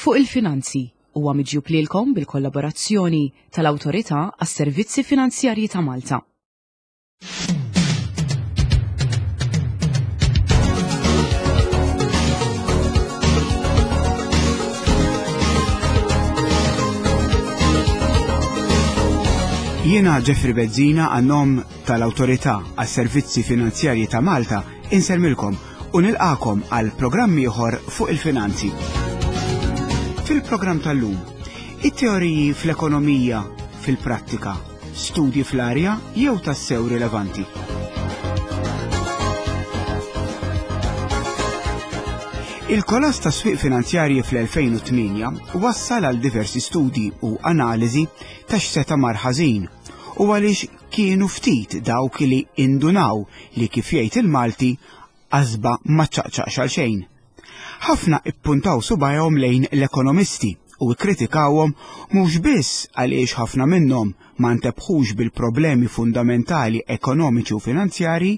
Fuq il-Finanzi huwa miġjub lilkom bil-kollaborazzjoni tal-Awtorità għas-Servizzi Finanzjarji ta' Malta. Jiena Jeffrey Bezzina għan-nom tal-Awtorità għas-Servizzi Finanzjarji ta' Malta insellmilkom u nilqakom għal programm ieħor fuq il-finanzi. Fil-programm tal-lum, it-teoriji fl-ekonomija fil-prattika, studji fl-arja jew tassew rilevanti. Il-kolass ta' swieq finanzjarji fl-2008 wassal għal diversi studji u analiżi ta' x'seta' mar ħażin u għaliex Kienu ftit dawk li indunaw li kif jgħid il-Malti, qasba ma ċċaqċaqx għal xejn. Ħafna ippuntaw subgħajhom lejn l-ekonomisti u kkritikawhom mhux biss għaliex ħafna minnhom ma ntebħux bil-problemi fundamentali ekonomiċi u finanzjarji,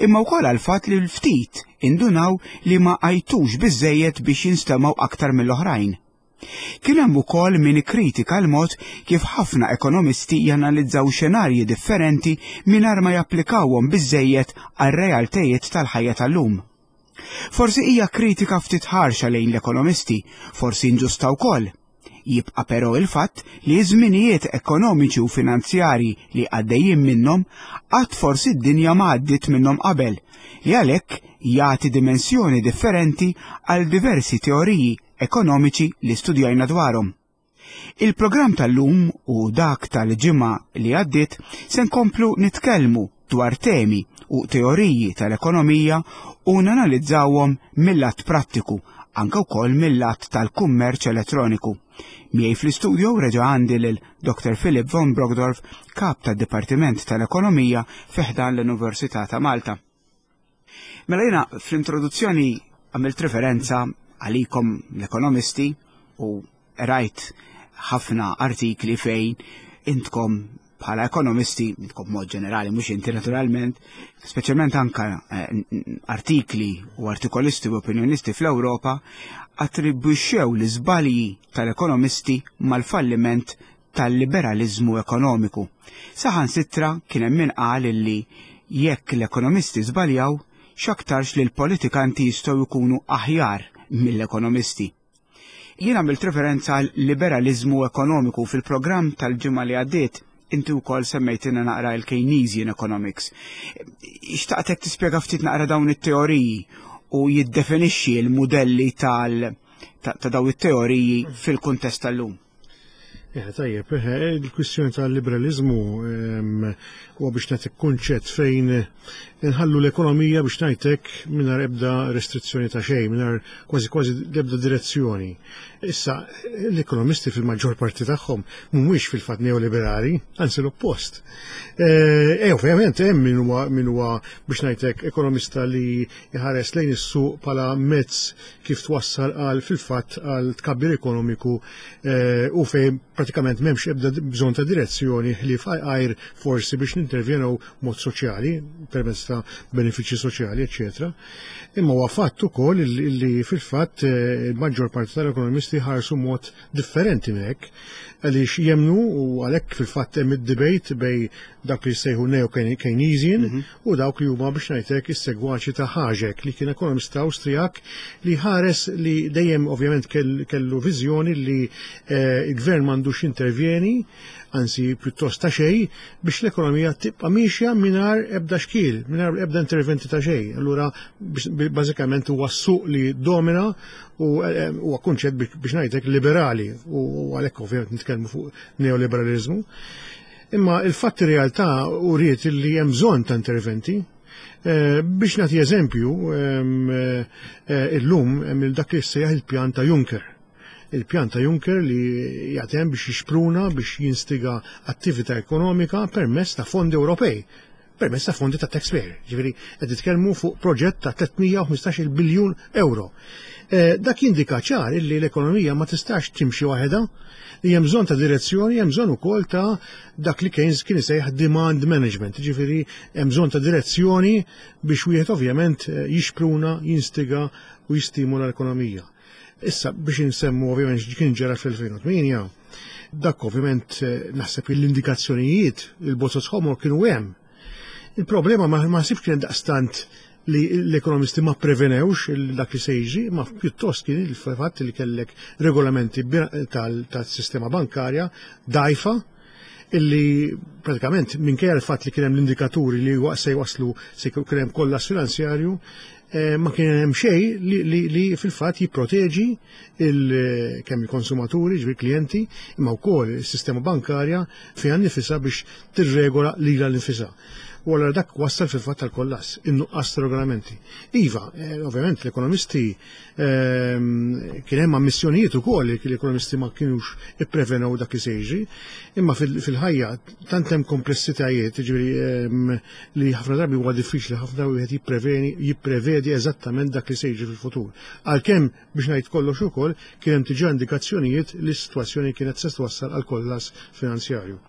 imma wkoll għall-fatt li l-ftit indunaw li ma għajtux biżżejjed biex jinstemgħu aktar mill-oħrajn. Kien hemm ukoll min ikkritika l-mod kif ħafna ekonomisti janalizzaw xenarji differenti mingħajr ma japplikawhom biżżejjed għar-realtajiet tal-ħajja tal-lum. Forsi hija kritika ftit ħarxa lejn l-ekonomisti, forsi inġusta wkoll. Jibqa' però il-fatt li ż-żminijiet ekonomiċi u finanzjarji li għaddejjin minnhom qatt forsi d-dinja ma għaddiet minnhom qabel, li għalhekk jagħti dimensjoni differenti għal diversi teoriji ekonomiċi li studjajna dwarhom. Il-programm tal-lum u dak tal-ġimgħa li għaddiet se nkomplu nitkellmu dwar temi u teoriji tal-ekonomija u nanalizzawhom mill-lat prattiku, anke wkoll mill-lat tal-kummerċ elettroniku. Miegħi fl-istudio reġa' għandi lil Dr. Philip von Brockdorff, kap tad-Dipartiment tal-Ekonomija fi ħdan l-Università ta' Malta. Mela jiena fl-introduzzjoni għamilt referenza għalikom l-ekonomisti u rajt ħafna artikli fejn intkom bħala ekonomisti, intkom mod ġenerali, mhux inti naturalment, speċjalment anka eh, artikli u artikolisti u opinjonisti fl-Ewropa attribwixxew l-iżbalji tal-ekonomisti mal-falliment tal-liberaliżmu ekonomiku. Saħansitra kien hemm min qal illi jekk l-ekonomisti żbaljaw, x'aktarx li l-politikanti jistgħu jkunu aħjar mill-ekonomisti. Jien għamilt referenza għal liberaliżmu ekonomiku fil-programm tal-ġimgħa li għaddiet inti wkoll semmejtilna naqra l-Keynesian economics. Xtaqtek tispjega ftit naqra dawn it-teoriji u jiddefinixxi l-mudelli tal ta' daw it-teoriji fil-kuntest tal-lum. Eh, tajjeb, eh, il-kwistjoni tal-liberalizmu ehm, huwa biex nagħtik kunċett fejn inħallu l-ekonomija biex ngħidlek mingħajr ebda restrizzjoni ta' xejn, mingħajr kważi kważi ebda direzzjoni. Issa, l-ekonomisti fil-maġġor parti tagħhom mhumiex fil-fatt neoliberali, anzi l-oppost. Eh, eh ovvjament hemm min huwa min huwa biex ngħidlek ekonomista li jħares lejn is-suq bħala mezz kif twassal għal fil-fatt għal tkabbir ekonomiku eh, u fejn pratikament m'hemmx ebda bżonn ta' direzzjoni li għajr forsi biex nintervjenu mod soċjali permezz ta' benefiċċji soċjali, eċetera. Imma huwa fatt ukoll li fil-fatt eh, il-maġġor parti tal-ekonomisti ħarsu mod differenti minn hekk għaliex jemnu u għalhekk fil-fatt hemm id-debate bej dak li jsejħu neo-Keynesian mhm. u dawk li huma biex ngħidlek is-segwaċi ta' Haġek li kien ekonomista Awstrijak li ħares li dejjem ovvjament kellu viżjoni li eh, il-gvern m'għandux jintervjeni, anzi pjuttost ta' xejn, biex l-ekonomija tibqa' miexja mingħajr ebda xkiel, mingħajr ebda interventi ta' xejn. Allura bażikament huwa s-suq li domina u eh, huwa kunċett biex ngħidlek liberali u għalhekk ovvjament nitkellmu fuq neoliberalizmu. Imma il-fatt realtà uriet li hemm bżonn ta' interventi. Eh, biex nagħti eżempju, ehm, eh, illum hemm dak li sejjaħ il-pjan ta' Juncker. Il-pjan ta' Juncker li jagħtem biex jixpruna biex jinstiga attività ekonomika permezz ta' fondi Ewropej permezz ta' fondi ta' taxpayer. Ġifieri qed nitkellmu fuq proġett ta' 315 biljun euro. Eh, dak jindika ċar illi l-ekonomija ma tistax timxi waħedha, li hemm bżonn ta' direzzjoni, hemm bżonn ukoll ta' dak li Keynes kien isejjaħ demand management, ġifieri hemm bżonn ta' direzzjoni biex wieħed ovvjament eh, jixpruna, jinstiga u jistimula l-ekonomija. Issa biex insemmu ovvjament x'kien ġara fl-2008, dak ovvjament eh, naħseb l-indikazzjonijiet il-bozoz ħomor kienu hemm. Il-problema ma naħsibx kien daqstant li l-ekonomisti ma prevenewx dak li se jiġri, ma pjuttost kien il-fatt li kellek regolamenti tal-sistema bankarja dajfa illi pratikament minkejja l-fatt li kien hemm l-indikaturi li se jwaslu se kien hemm kollass finanzjarju, eh, ma kien hemm xejn li, li, li fil-fatt jipproteġi il, kemm il-konsumaturi, ġifieri klijenti, imma wkoll is-sistema bankarja fiha nnifisha biex tirregola lilha nnifisha. U allura dak wassal fil-fatt tal-kollass, in-nuqqas ta' regolamenti. Iva, eh, ovvjament l-ekonomisti Ehm, kien hemm ammissjonijiet ukoll li l-ekonomisti ma kienux ipprevenew dak li se jiġri, imma fil-ħajja tant hemm komplessitajiet, jiġifieri ehm, li ħafna drabi huwa diffiċli ħafna wieħed jippreveni jipprevedi eżattament dak li se jiġri fil-futur. Għalkemm biex ngħid kollox ukoll kien hemm diġà indikazzjonijiet li s-sitwazzjoni kienet se twassal għal kollass finanzjarju.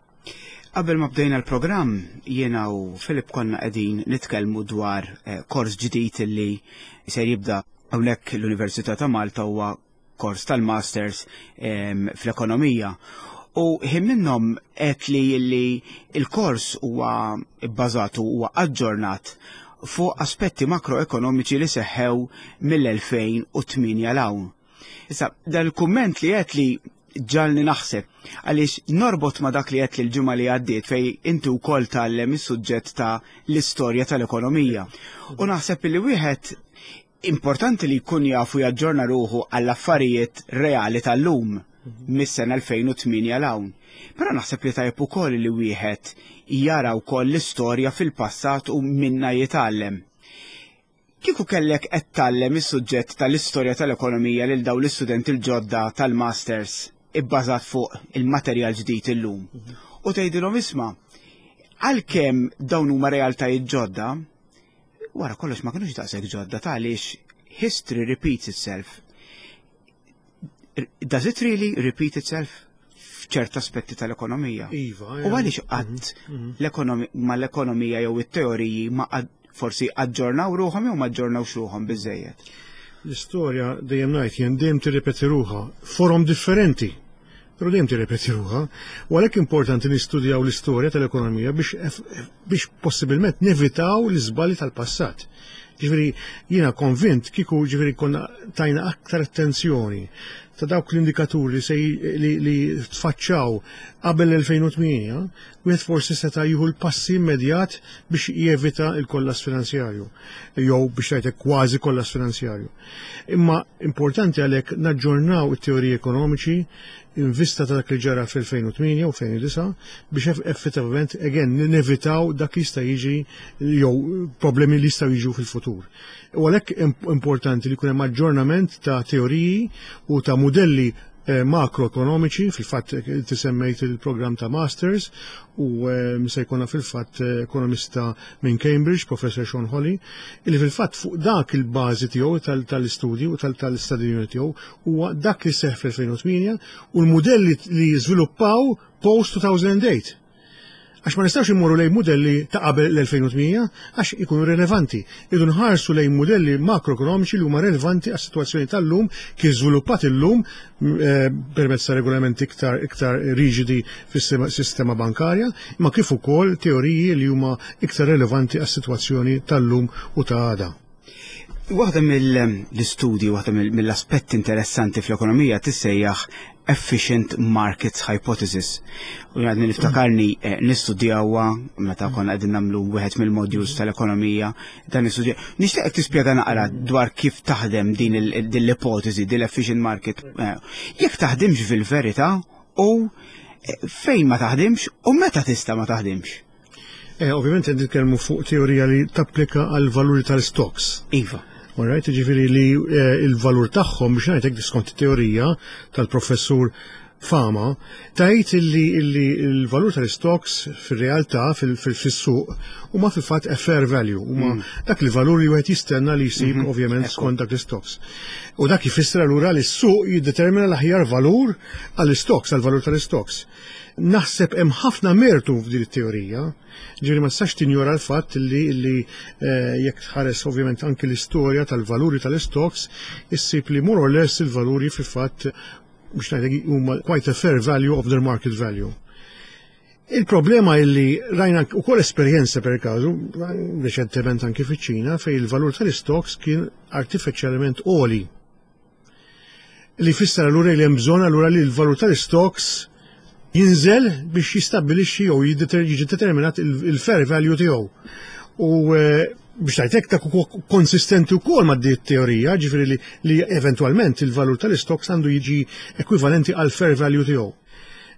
Qabel ma bdejna l-programm, jiena u Filip konna qegħdin nitkellmu dwar eh, kors ġdid li ser jibda hawnhekk l-Università ta' Malta huwa kors tal-Masters ehm, fl-ekonomija. U ħin minnhom qed li li il-kors huwa bbażat huwa aġġornat fuq aspetti makroekonomiċi li seħħew mill-2008 l hawn. Issa, dal-kumment li qed li ġalni naħseb għaliex norbot ma dak li għedt l-ġimgħa li għaddiet fej inti wkoll tgħallem is-suġġett ta' l-istorja tal-ekonomija. U naħseb li wieħed importanti li jkun jafu jaġġorna ruħu għall-affarijiet reali tal-lum mis-sena 2008 'l hawn. Però naħseb li tajjeb ukoll li wieħed jara wkoll l-istorja fil-passat u minna jitgħallem. Kieku kellek qed tgħallem is-suġġett tal-istorja tal-ekonomija lil dawn l-istudenti l-ġodda tal-masters ibbażat fuq il-materjal ġdid illum u tgħidilhom isma' għalkemm dawn huma realtajiet ġodda, wara kollox ma kinux daqshekk ġodda ta' għaliex history repeats itself. Does it really repeat itself? f'ċert aspetti tal-ekonomija. Iva. U għaliex qatt mhm, mhm. ma l-ekonomija jew it-teoriji ma forsi aġġornaw ruħhom jew ma aġġornawx ruħhom biżejjed. L-istorja dejjem ngħid jien dejjem tirrepeti ruħha forom differenti. Però dejjem tirrepeti ruħha. U għalhekk importanti nistudjaw l-istorja tal-ekonomija biex biex possibilment nevitaw l-iżbalji tal-passat. Ġifieri jiena konvint kieku ġifieri konna tajna aktar attenzjoni ta' dawk l-indikaturi se li, li tfaċċaw qabel l-2008, wieħed forsi seta' jieħu l-passi immedjat biex jevita l-kollass finanzjarju jew biex ngħidlek kważi kollass finanzjarju. Imma importanti għalhekk naġġornaw it-teoriji ekonomiċi in vista ta' dak li ġara fl-2008 u 2009 biex effettivament again nevitaw dak li jista' jiġi jew problemi li jistgħu jiġu fil-futur. U għalhekk importanti li jkun hemm aġġornament ta' teoriji u ta' mudelli eh, makroekonomiċi, fil-fatt eh, inti semmejt il-programm ta' Masters u eh, se jkollna fil-fatt ekonomista minn Cambridge, Professor Sean Holly, illi fil-fatt fuq dak il-bażi tiegħu tal-istudju u tal-istadjuni tiegħu huwa dak li seħħ fl-2008 u l-mudelli li żviluppaw post 2008. Għax ma nistgħux immorru lejn mudelli ta' qabel l-2008 għax ikunu relevanti. Idu nħarsu lejn mudelli makroekonomiċi li huma relevanti għas-sitwazzjoni tal-lum kif żviluppat illum eh, permezz ta' regolamenti iktar iktar riġidi fis-sistema bankarja, imma kif ukoll teoriji li huma iktar relevanti għas-sitwazzjoni tal-lum u ta' għada. Waħda mill-istudji, waħda mill-aspetti interessanti fl-ekonomija tissejjaħ Efficient Markets Hypothesis. U għadni niftakarni eh, nistudjawha meta konna qegħdin nagħmlu wieħed mill-modules tal-ekonomija dan nistudja. Nixtieqek tispjega naqra dwar kif taħdem din l-ipotezi, din l-efficient market. Eh, jekk taħdimx fil-verità u eh, fejn ma taħdimx u meta tista' ma taħdimx. Eh, ovvjament qed nitkellmu fuq teorija li tapplika għal valuri tal-stocks. Iva. Alright, ġifieri li eh, il-valur tagħhom biex ngħidlek skont teorija tal-professur fama tgħid illi illi l-valur tal-stocks fir-realtà fis-suq huma fil-fatt a fair value, huma dak il-valur li wieħed jistenna li jsib ovvjament skont dak l-stocks. U dak jfisser allura li s-suq jiddetermina l-aħjar valur għall-stocks, għall-valur tal-stocks. Naħseb hemm ħafna mertu f'din it-teorija, ġifieri ma tistax tinjora l-fatt li li jekk tħares ovvjament anki l-istorja tal-valuri tal-stocks, issib li more or less il-valuri fil-fatt biex ngħidlek huma quite a fair value of their market value. Il-problema illi rajna ukoll esperjenza per każu, reċentement anki fiċ-Ċina, fejn il-valur tal-stocks kien artifiċjalment għoli. Li jfisser allura li hemm bżonn allura li l-valur tal-stocks jinżel biex jistabbilixxi jew jiġi determinat il-fair value tiegħu. U biex ngħidlek dak huwa konsistenti wkoll ma' di teorija, ġifieri li, li eventwalment il-valur tal-stocks għandu jiġi ekwivalenti għal fair value tiegħu.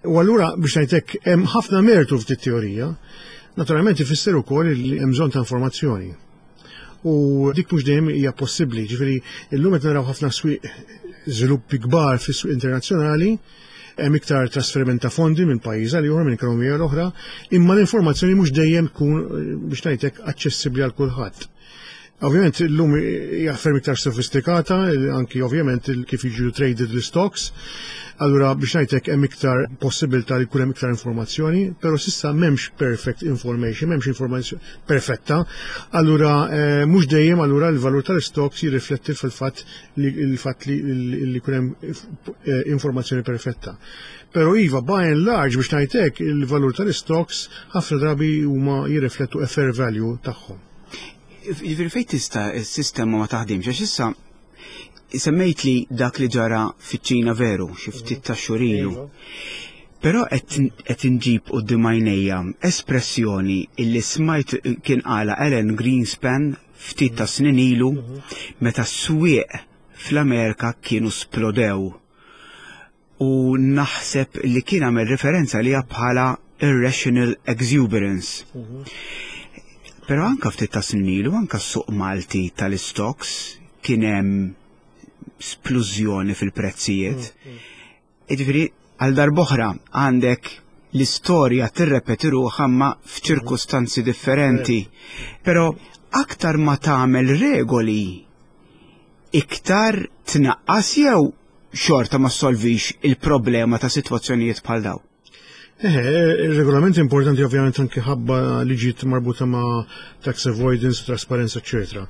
U allura biex ngħidlek hemm ħafna mertu f'di teorija, naturalment ifisser ukoll li hemm bżonn ta' informazzjoni. U dik mhux dejjem hija possibbli, ġifieri illum qed naraw ħafna swieq żviluppi kbar fis-swieq internazzjonali, hemm iktar trasferiment ta' fondi minn pajjiż għal ieħor, minn ekonomija l oħra, imma l-informazzjoni mhux dejjem tkun biex ngħidlek aċċessibbli għal kulħadd. Ovvjament illum hija ferm iktar sofistikata, anki ovvjament kif jiġu traded l-stocks. Allura biex ngħidlek hemm iktar possibilità li jkun hemm iktar informazzjoni, però s'issa m'hemmx perfect information, m'hemmx informazzjoni perfetta. Allura mhux dejjem allura l-valur tal-stocks jirrifletti fil-fatt li l-fatt li li jkun hemm informazzjoni perfetta. Però iva, by and large biex ngħidlek il-valur tal-stocks ħafna drabi huma jirriflettu a fair value tagħhom. Jiġifieri fejn tista' s-sistema ma taħdimx għax issa semmejt li dak li ġara fiċ-Ċina veru xi ftit ta' xhur ilu. Però qed inġib quddiem għajnejja espressjoni illi smajt kien qala Alan Greenspan ftit ta' snin ilu meta s-swieq fl-Amerika kienu splodew u naħseb li kien għamel referenza li bħala irrational exuberance. Però anka ftit ta' snin ilu, anka s-suq Malti tal-stocks kien hemm splużjoni fil-prezzijiet. Jiġifieri għal darb'oħra għandek l-istorja tirrepeti ruħha ma f'ċirkustanzi differenti. Però aktar ma tagħmel regoli iktar tnaqqas jew xorta ma solvix il-problema ta' sitwazzjonijiet bħal daw. Eħe, il-regolament importanti ovvjament anki ħabba liġijiet marbuta ma' tax avoidance, trasparenza, eccetera.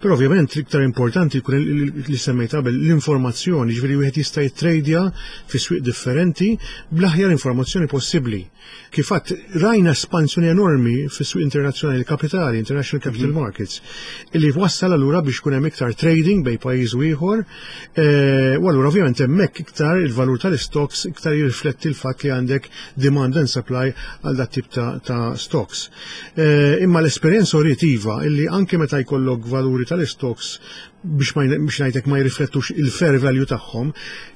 Però ovvjament l-iktar importanti jkun li semmejt qabel l-informazzjoni, ġifieri wieħed jista' jitrejdja fi swieq differenti bl-aħjar informazzjoni possibbli. Kif għadt, rajna espansjoni enormi fis-swieq internazzjonali kapitali, international capital markets, illi wassal allura biex kun hemm iktar trading bejn pajjiż u ieħor, u allura ovvjament hemmhekk iktar il-valur tal-stocks iktar jirrifletti l-fatt li għandek demand and supply għal dat tip ta' stocks. Imma l-esperjenza uriet iva illi anke meta jkollok valuri tal-stocks biex ngħidlek ma jirriflettux il-fair value tagħhom,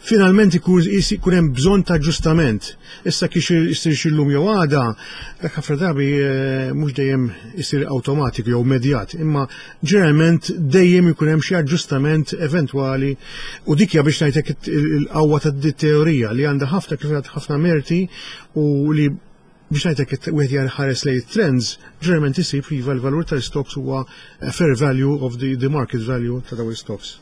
finalment ikun hemm bżonn ta' aġġustament. Issa kif isir illum jew għada, dak ħafna drabi mhux dejjem isir awtomatiku jew immedjat, imma ġeneralment dejjem ikun hemm xi aġġustament eventwali u dik hija biex ngħidlek il-qawwa ta' teorija li għandha ħafna kif ħafna merti u li biex ngħidlek wieħed jħares lejn trends, ġeneralment isib li iva l-valur tal-stocks huwa fair value of the market value ta' dawn stocks.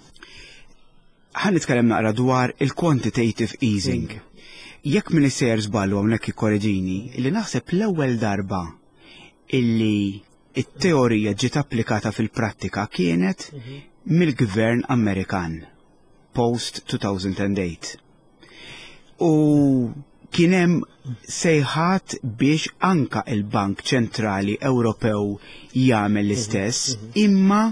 Ħa nitkellem naqra dwar il-quantitative easing. Jekk min sejjer żballu hawnhekk ikkoreġini, li naħseb l-ewwel darba illi it-teorija ġiet applikata fil-prattika kienet mill-gvern Amerikan post 2008. U kien hemm sejħat biex anka il-Bank Ċentrali Ewropew jagħmel l-istess, imma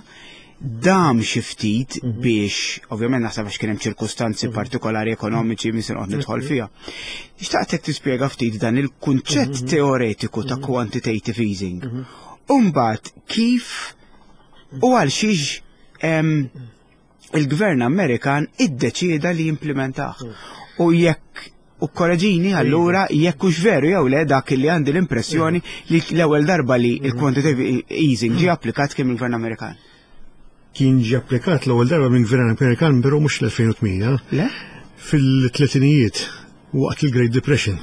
dam xi ftit biex, ovvjament naħseb għax kien hemm ċirkustanzi partikolari ekonomiċi mi se noqgħod nidħol fiha. Xtaqtek tispjega ftit dan il-kunċett teoretiku ta' quantitative easing. U mbagħad kif u għal xiex il-gvern Amerikan iddeċieda li jimplementah. U jekk u korreġini allura jekk hux veru jew le dak li għandi l-impressjoni li l-ewwel darba li il-quantitative easing ġie applikat kien mill-gvern Amerikan. Kien ġie applikat l-ewwel darba minn gvern Amerikan, però mhux l-2008. Le? Fil-tletinijiet. waqt il-Great Depression.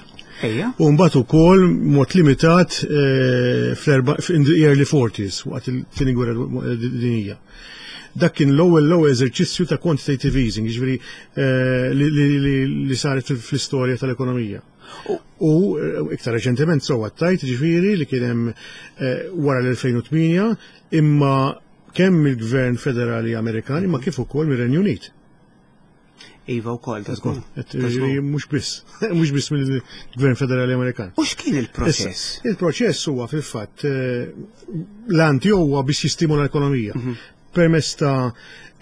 Ejja. U mbagħad ukoll mod limitat eh, fl-early 40s waqt il-tieni gwerra dinjija. Dak kien l-ewwel l-ewwel eżerċizzju ta' quantitative easing, jiġifieri eh, li saret fl-istorja tal-ekonomija. U eh, iktar reċentement sewwa tajt ġifieri li kien hemm wara l-2008 imma kemm mill-Gvern Federali Amerikan imma kif ukoll mir-Renju Unit. Iva wkoll ta' żgur. Mhux biss, mhux biss mill-Gvern Federali Amerikan. U x'kien il-proċess? Il-proċess huwa fil-fatt eh, l-anti huwa biex jistimula l-ekonomija. Mhm. Permezz ta'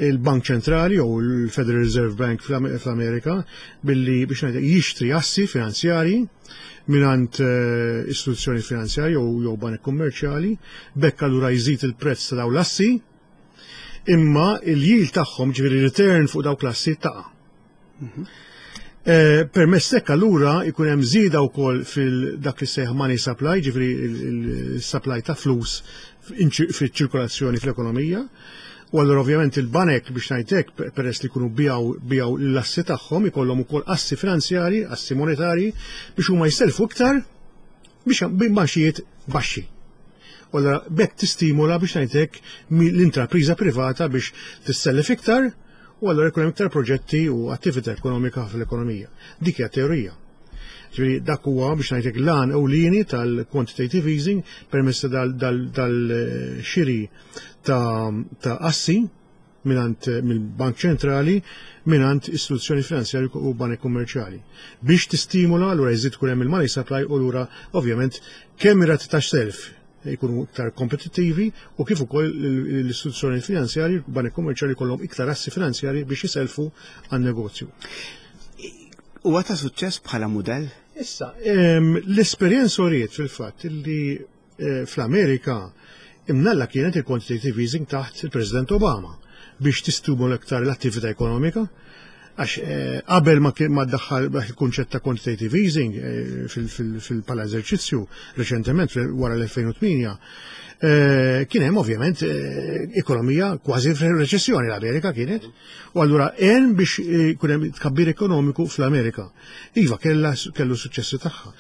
il-Bank Ċentrali jew il-Federal Reserve Bank fl-Amerika billi biex ngħid jixtri assi finanzjarji mingħand eh, istituzzjoni finanzjarji jew banek kummerċjali, bekk allura jżid il-prezz ta' dawn l-assi Imma il-yield tagħhom, ġifieri return fuq dawk l-assi taqa'. Mhm. Eh, permezz hekk allura jkun hemm żieda wkoll fil-dak li sejħ money supply, ġifieri il-supply ta' flus fiċ-ċirkolazzjoni fl-ekonomija. U allura ovvjament il-banek biex ngħidlek peress li jkunu bijaw bijaw l-assi tagħhom ikollhom ukoll assi finanzjari, assi monetari biex huma jiselfu iktar biex b'imgħaxijiet baxxi. U allura b'hekk tistimula biex ngħidlek l-intrapriża privata biex tissellef iktar u allura jkun hemm iktar proġetti u attività ekonomika fl-ekonomija. Dik hija teorija. Ġifieri dak huwa biex ngħidlek l-għan ewlieni tal-quantitative easing permezz dal-xiri ta' assi mingħand mill-Bank Ċentrali mingħand istituzzjoni finanzjarji u banek kummerċjali. Biex tistimula allura jżid tkun hemm il-money supply u lura ovvjament kemm ir-rati ta' self jkunu iktar kompetittivi u kif ukoll l-istituzzjoni finanzjarji, banek kummerċjali jkollhom iktar assi finanzjarji biex jiselfu għan-negozju. Huwa ta' suċċess bħala mudell? Issa, l-esperjenza uriet fil-fatt li Eh, fl-Amerika imnalla kienet il-quantitative easing taħt il-President Obama biex tistimula iktar l-attività ekonomika. Għax eh, qabel ma ma daħħal il-kunċett ta' quantitative easing eh, fil-pala eżerċizzju reċentement wara l-2008, kien hemm ovvjament ekonomija kważi f'reċessjoni l-Amerika kienet. U allura għen biex kun hemm tkabbir ekonomiku fl-Amerika. Iva kellu suċċessi tagħha.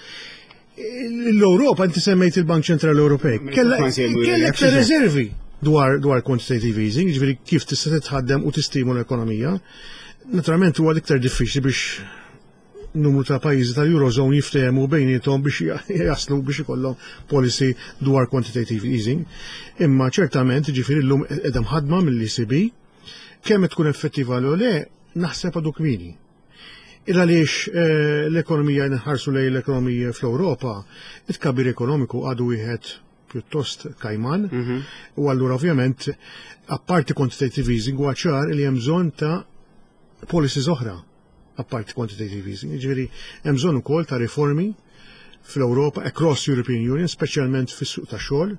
L-Ewropa, inti semmejt il-Bank Ċentrali Ewropej, kellha iktar reservi dwar dwar quantitative easing, ġifieri kif tista' titħaddem u tistimula l-ekonomija. Naturalment huwa l-iktar diffiċli biex numru ta' pajjiżi tal-Eurozone jiftehmu bejniethom biex jaslu biex ikollhom policy dwar quantitative easing. Imma ċertament ġifieri llum qiegħda mħaddma mill-ECB, kemm tkun effettiva l le, naħseb għadu kmieni. Il għaliex eh, l-ekonomija nħarsu lejn l-ekonomija fl-Ewropa, it-kabir ekonomiku għadu wieħed pjuttost kajman. Mhm. U allura ovvjament apparti quantitative easing huwa ċar li hemm bżonn ta' policies oħra apparti quantitative easing. Jiġifieri hemm bżonn ukoll ta' riformi fl-Ewropa across European Union, speċjalment fis-suq tax-xogħol,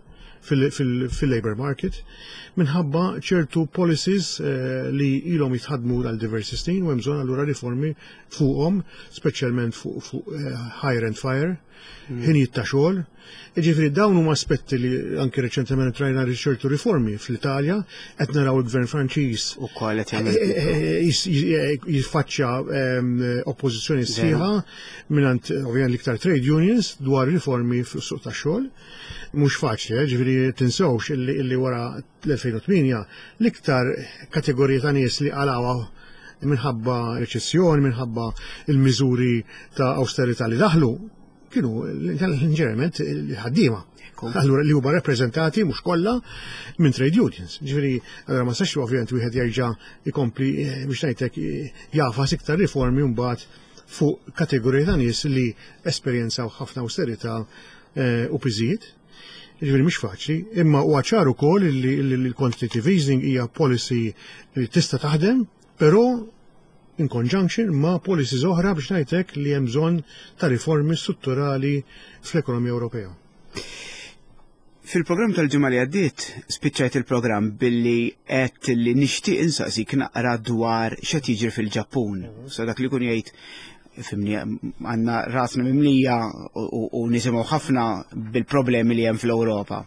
fil-labor market, minħabba ċertu policies eh, li ilhom jitħadmu għal diversi snin u hemm bżonn allura riformi fuqhom, speċjalment fuq eh, hire and fire, hmm. ħinijiet ta' xogħol. Jiġifieri dawn huma aspetti li anki reċentement rajna ċertu riformi fl-Italja, qed naraw il-Gvern Franċiż ukoll qed jagħmel eh, jiffaċċja ehm, oppożizzjoni sħiħa mingħand ovvjament l-iktar trade unions dwar riformi fis-suq tax-xogħol. Mhux faċli, eh, ġifieri tinsewx illi wara l-2008 l-iktar kategorija ta' nies li qalawha minħabba reċessjoni, minħabba il-miżuri ta' austerità li daħlu, kienu ġeneralment il-ħaddiema. Allura li huma rappreżentati mhux kollha minn trade unions. Ġifieri, allura ma sax ovvjament wieħed jerġa' jkompli eh, biex ngħidlek eh, jafas iktar riformi mbagħad fuq kategorija ta' nies li esperjenzaw ħafna austerità eh, u piżijiet. Ġifieri mhix faċli, imma huwa ċar ukoll li l-quantitative easing hija policy li tista' taħdem, però in conjunction ma' policies oħra biex ngħidlek li hemm bżonn ta' riformi strutturali fl-ekonomija Ewropea. Fil-programm tal-ġimgħa li għaddiet spiċċajt il-programm billi għedt li nixtieq insaqsik naqra dwar x'qed jiġri fil-Ġappun. Mhm. So dak li kun jgħid fimni għandna rasna mimlija u nisimgħu ħafna bil-problemi li hemm fl-Ewropa.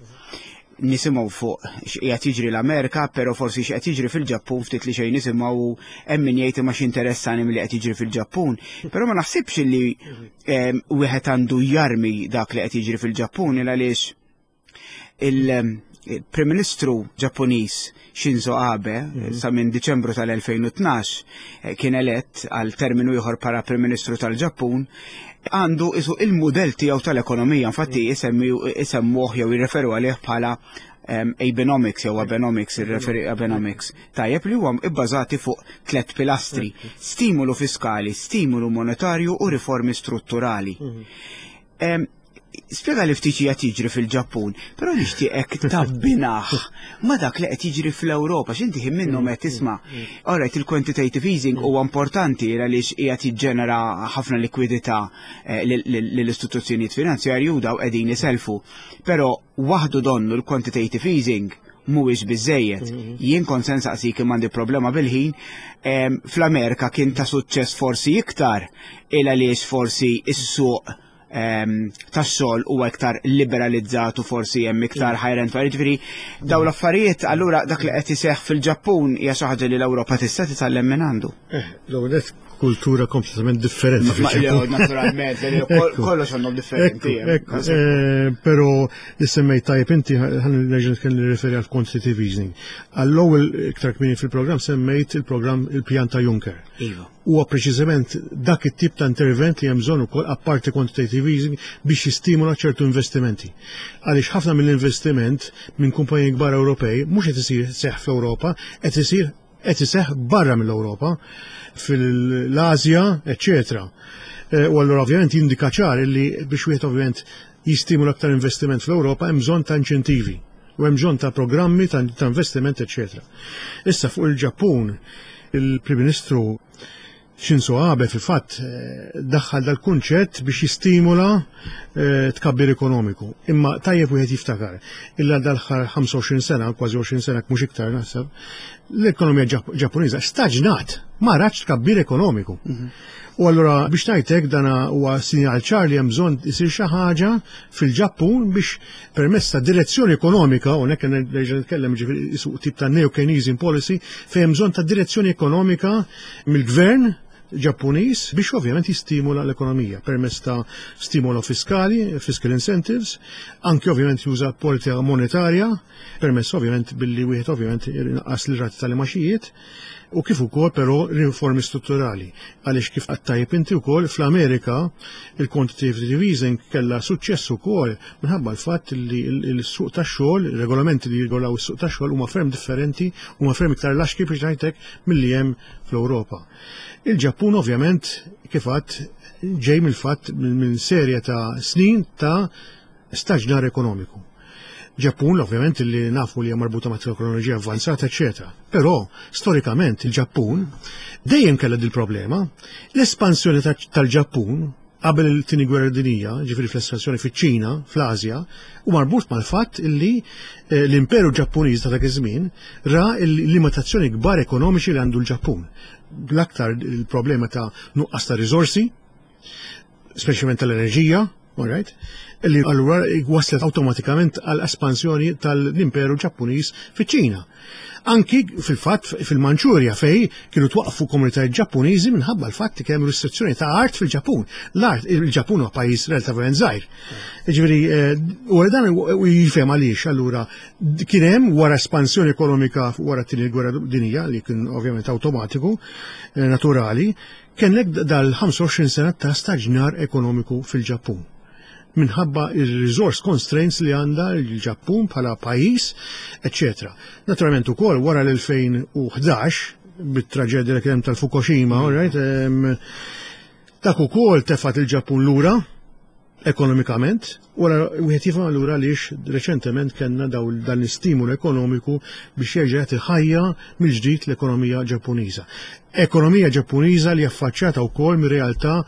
nisimgħu fuq x'qiegħed jiġri l-Amerika, però forsi x'qed jiġri fil-Ġappun ftit li xejn nisimgħu hemm min jgħid imma x'interessani milli qed jiġri fil-Ġappun. Però ma naħsibx li wieħed għandu jarmi dak li qed jiġri fil-Ġappun il għaliex il-Prim Ministru Ġappuniż Shinzo Abe sa minn Diċembru tal-2012 eh, kien elett għal terminu ieħor para Prim Ministru tal-Ġappun għandu isu il-mudell tiegħu tal-ekonomija, infatti isemmuh jew jirreferu għalih bħala Abenomics jew Abenomics, irreferi Abenomics. Tajjeb li huwa ibbażati fuq tliet pilastri: stimolu fiskali, stimolu monetarju u riformi strutturali. Spjega li ftit qed jiġri fil-Ġappun, però nixtieqek tabbinah ma dak li qed jiġri fl-Ewropa, x'inti ħin minnhom qed tisma'. Alright, il-quantitative easing huwa importanti għaliex qiegħed jiġġenera ħafna likwidità eh, lill-istituzzjonijiet finanzjarji u daw qegħdin iselfu. Però waħdu donnu l-quantitative easing mhuwiex biżejjed. Mm-hmm. Jien kont se nsaqsik imma għandi problema bil-ħin. Fl-Amerika kien ta' suċċess forsi iktar il għaliex forsi is-suq tax-xogħol huwa iktar liberalizzat u forsi hemm iktar higher end Jiġifieri dawn l-affarijiet allura dak li qed iseħħ fil-Ġappun hija xi ħaġa li l-Ewropa tista' titgħallem minn għandu. Eh, l-ewwel kultura kompletament differenti. Naturalment, kollox għandhom differenti. Eh, però li semmejt tajjeb inti ħan nerġa' nitkellem nirreferi għal quantitative easing. Għall-ewwel iktar kmieni fil-programm semmejt il-programm il-pjan ta' Juncker. Iva. Huwa preċiżament dak it-tip ta' intervent li hemm bżonn ukoll apparti quantitative easing biex jistimula ċertu investimenti. Għaliex ħafna mill-investiment minn kumpaniji kbar Ewropej mhux qed isir seħħ fl-Ewropa, qed isir qed iseħħ barra mill-Ewropa, fil-Asja, eċċetera. Eh, u allura ovvjament jindika ċar li biex wieħed ovvjament jistimula aktar investiment fl-Ewropa hemm bżonn ta' inċentivi u hemm bżonn ta' programmi ta' investiment, eċċetera. Issa fuq il-Ġappun, il-Prim Ministru Shinzo Abe fil-fatt eh, daħħal dal-kunċett biex jistimula eh, tkabbir ekonomiku. Imma tajjeb wieħed jiftakar illa dal-ħar 25 sena, kważi 20 sena mhux iktar naħseb, l-ekonomija Ġappuniża staġnat, ma ratx tkabbir ekonomiku. Mhm. U allura biex ngħidlek dan huwa sinjal ċar li hemm bżonn isir xi ħaġa fil-Ġappun biex permezz ta' direzzjoni ekonomika, u hekk nerġa' nitkellem ġifieri tip ta' neo-Keynesian policy, fejn hemm bżonn ta' direzzjoni ekonomika mill-gvern Ġappuniż biex ovvjament jistimula l-ekonomija permezz ta' stimolo fiskali, fiscal incentives, anke ovvjament juża politika monetarja permezz ovvjament billi wieħed ovvjament inaqqas l-rati tal-imaxijiet u kif ukoll però riformi strutturali. Għaliex kif qatt tajjeb inti wkoll fl-Amerika il-quantitative easing kellha suċċess ukoll minħabba l-fatt li l-suq tax-xogħol, regolamenti li jirregolaw is-suq tax-xogħol huma ferm differenti, huma ferm iktar laxki biex ngħidlek milli hemm fl-Ewropa. Il-Ġappun ovvjament kif għadt ġej mill-fatt minn serje ta' snin ta' staġnar ekonomiku. Ġappun, ovvjament, li nafu li hija marbuta ma' teknoloġija avvanzata, eċetera. Però, storikament, il-Ġappun dejjem kellha dil-problema. L-espansjoni tal-Ġappun qabel il-tieni gwerra dinija, ġifieri fl-espansjoni fiċ-Ċina, fl-Asja, u marbut mal-fatt illi eh, l-Imperu Ġappuniż ta' dak iż-żmien ra l-limitazzjoni kbar ekonomiċi li għandu l-Ġappun. L-aktar il-problema ta' nuqqas ta' riżorsi, speċjalment tal-enerġija, all right, li allura waslet awtomatikament għal espansjoni tal-Imperu Ġappuniż fiċ-Ċina. Anki fil-fatt fil-Manċurja fej kienu twaqfu komunitajiet Ġappuniżi minħabba l-fatt li kemm restrizzjoni ta' art fil-Ġappun. L-art, il-Ġappun huwa pajjiż relativament żgħir. Ġifieri, eh, u dan jifhem għaliex allura kien hemm wara espansjoni ekonomika wara t-tieni gwerra dinija li kien ovvjament awtomatiku, eh, naturali, Kellek dal-25 sena ta' staġnar ekonomiku fil-Ġappun minħabba il-resource constraints li għandha l-Ġappun bħala pajjiż, eccetera. Naturalment ukoll wara l-2011 bit-traġedja li kien hemm tal-Fukushima, all right, dak ukoll tefat il-Ġappun lura ekonomikament, wara wieħed jifhem allura għaliex reċentement kellna dan l-istimulu ekonomiku biex jerġa' jagħti ħajja mill-ġdid l-ekonomija Ġappuniża. Ekonomija Ġappuniża li affaċċjata wkoll mir-realtà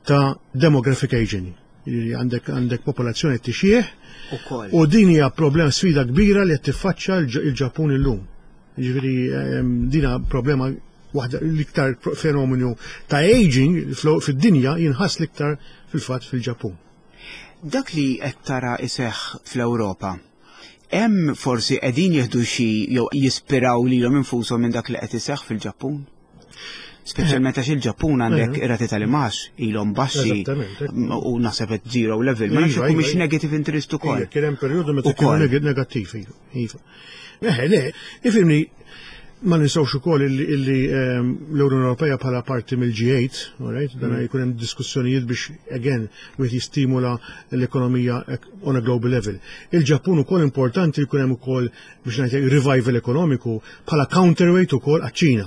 ta' demographic aging. Għandek għandek popolazzjoni tixjieħ u din hija problema sfida kbira li qed tiffaċċja l-Ġappun illum. Jiġifieri ehm, dina problema waħda l-iktar fenomenu ta' aging fid-dinja jinħass l-iktar fil-fatt fil-Ġappun. Dak li qed tara iseħħ fl-Ewropa, Hemm forsi qegħdin jieħdu xi jew jispiraw lilhom infushom minn dak li qed iseħħ fil-Ġappun? Speċjalment għax il-Ġappun għandek ir-rati tal-imax ilhom baxxi u naħseb qed zero level, ma nafx mhix iva. negative interest ukoll. Kien hemm perjodu meta kienu negattivi. Iva. Eħe, le, ifimni, ma ninsawx ukoll illi ehm, l-Unjoni Ewropea bħala parti mill-G8, right? Dan mm. jkun hemm diskussjonijiet biex again wieħed jistimula l-ekonomija on a global level. Il-Ġappun ukoll importanti jkun hemm ukoll biex ngħid revival ekonomiku bħala counterweight ukoll għaċ-Ċina.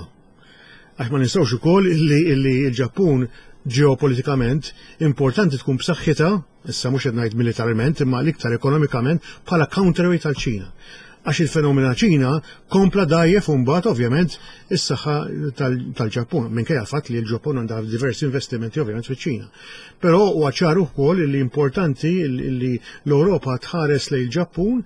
Għax ma ninsawx ukoll illi l-Ġappun ġeopolitikament importanti tkun b'saħħitha issa mhux qed ngħid militarment imma l-iktar ekonomikament bħala counterweight għal Ċina. Għax il-fenomena Ċina kompla dajjef u mbagħad ovvjament is-saħħa tal-Ġappun, minkejja l-fatt li l-Ġappun għandha diversi investimenti ovvjament fiċ-Ċina. Però huwa ċar ukoll li importanti li l-Ewropa tħares lejn il-Ġappun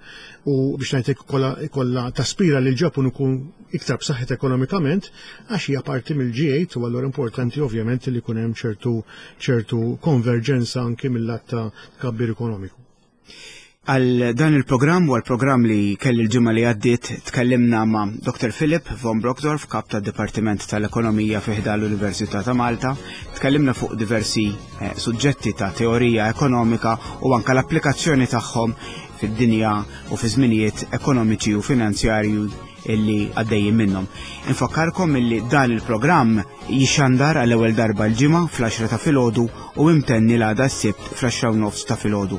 u biex ngħidlek kollha taspira li l-Ġappun ikun iktar b'saħħet ekonomikament għax hija parti mill-G8 u allura importanti ovvjament li jkun hemm ċertu ċertu konverġenza anki mill-lat ta' tkabbir ekonomiku. Għal dan il-programm u għal-programm li kelli l-ġimgħa li għaddiet tkellimna ma' Dr. Philip von Brockdorf, kap tad Dipartiment tal-Ekonomija fi ħdan l-Università ta' Malta. Tkellimna fuq diversi eh, suġġetti ta' teorija ekonomika u anka l-applikazzjoni tagħhom fid-dinja u fi żminijiet ekonomiċi u finanzjarju illi għaddejjin minnhom. Infakkarkom illi dan il-programm jixandar għall-ewwel darba l-ġimgħa fl-10 ta' filgħodu u imtenni l-għada s-Sibt fl-10 nofs ta' filgħodu.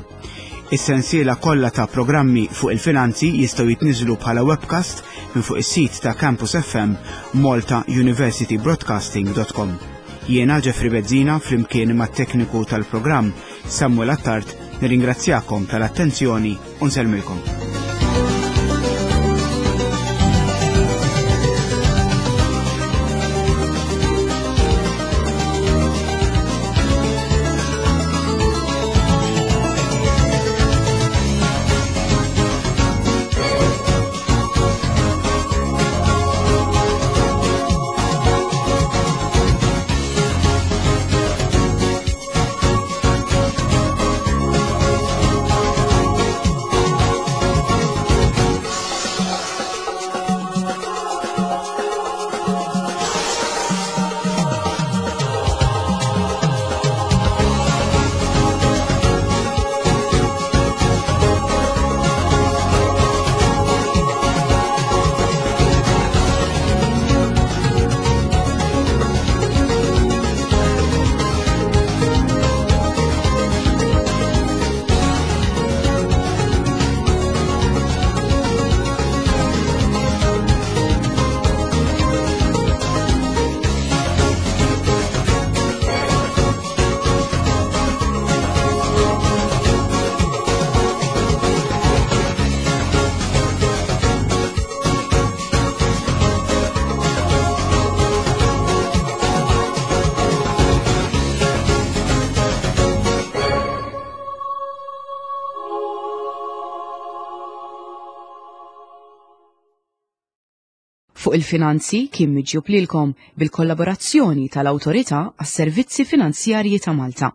Is-sensiela kollha ta' programmi fuq il-finanzi jistgħu jitniżlu bħala webcast minn fuq is-sit ta' Campus FM maltauniversitybroadcasting.com. Jiena Jeffrey Bezzina flimkien mat-tekniku tal-programm Samuel Attard nirringrazzjakom tal-attenzjoni u nsellmilkom. Fuq il-finanzi kien miġjub lilkom bil-kollaborazzjoni tal-Awtorità għas-Servizzi Finanzjarji ta' Malta.